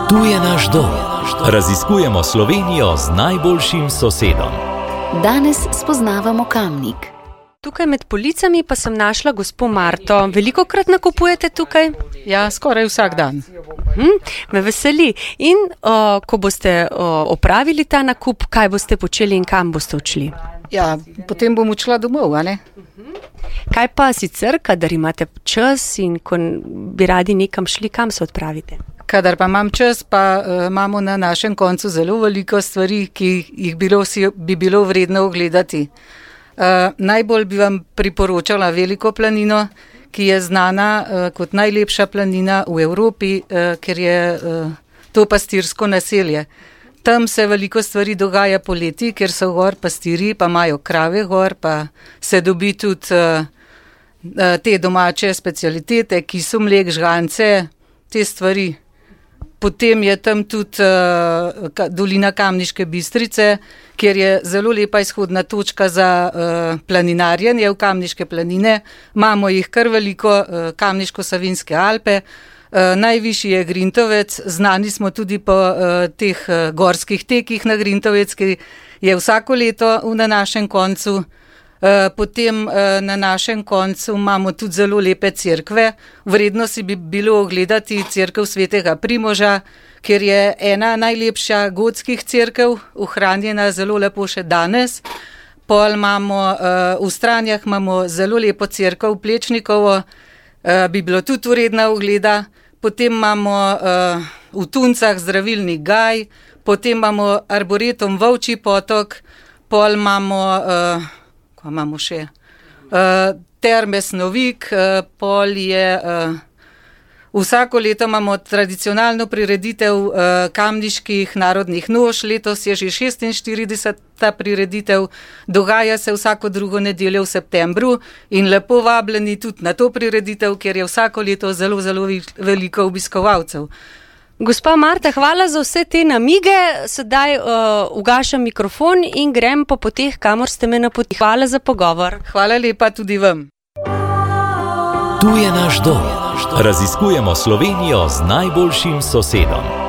Tu je naš dom. Raziskujemo Slovenijo z najboljšim sosedom. Danes spoznavamo Kamnik. Tukaj med policami pa sem našla gospo Marto. Velikokrat nakupujete tukaj? Ja, skoraj vsak dan. Me veseli. In ko boste opravili ta nakup, kaj boste počeli in kam boste odšli? Ja, potem bom odšla domov, a ne? Kaj pa sicer, kadar imate čas in ko bi radi nekam šli, kam se odpravite? Kadar pa imam čas, pa imamo na našem koncu zelo veliko stvari, ki jih bi bilo vredno ogledati. Najbolj bi vam priporočala Veliko planino, ki je znana kot najlepša planina v Evropi, ker je to pastirsko naselje. Tam se veliko stvari dogaja poleti, ker so gor pastiri, pa imajo krave gor, pa se dobi tudi te domače specialitete, kisomlek, žgance, te stvari. Potem je tam tudi dolina Kamniške Bistrice, kjer je zelo lepa izhodna točka za planinarjenje v Kamniške planine. Imamo jih kar veliko, Kamniško-Savinjske Alpe. Najvišji je Grintovec, znani smo tudi po teh gorskih tekih na Grintovec, ki je vsako leto na našem koncu. Potem na našem koncu imamo tudi zelo lepe cerkve. Vredno si bi bilo ogledati cerkev svetega Primoža, ker je ena najlepša gotskih cerkev, ohranjena zelo lepo še danes. Pol imamo v Stranjah imamo zelo lepo cerkev Plečnikovo, bi bilo tudi vredna ogleda. Potem imamo v Tuncah zdravilni gaj, potem imamo arboretum Volčji potok, pol imamo ko imamo še Terme Snovik, pol je vsako leto imamo tradicionalno prireditev kamniških narodnih noš, letos je že 46. prireditev, dogaja se vsako drugo nedeljo v septembru in lepo vabljeni tudi na to prireditev, ker je vsako leto zelo, zelo veliko obiskovalcev. Gospa Marta, hvala za vse te namige. Sedaj ugašam mikrofon in grem po poteh, kamor ste me napotili. Hvala za pogovor. Hvala lepa tudi vam. Tu je naš dom. Raziskujemo Slovenijo z najboljšim sosedom.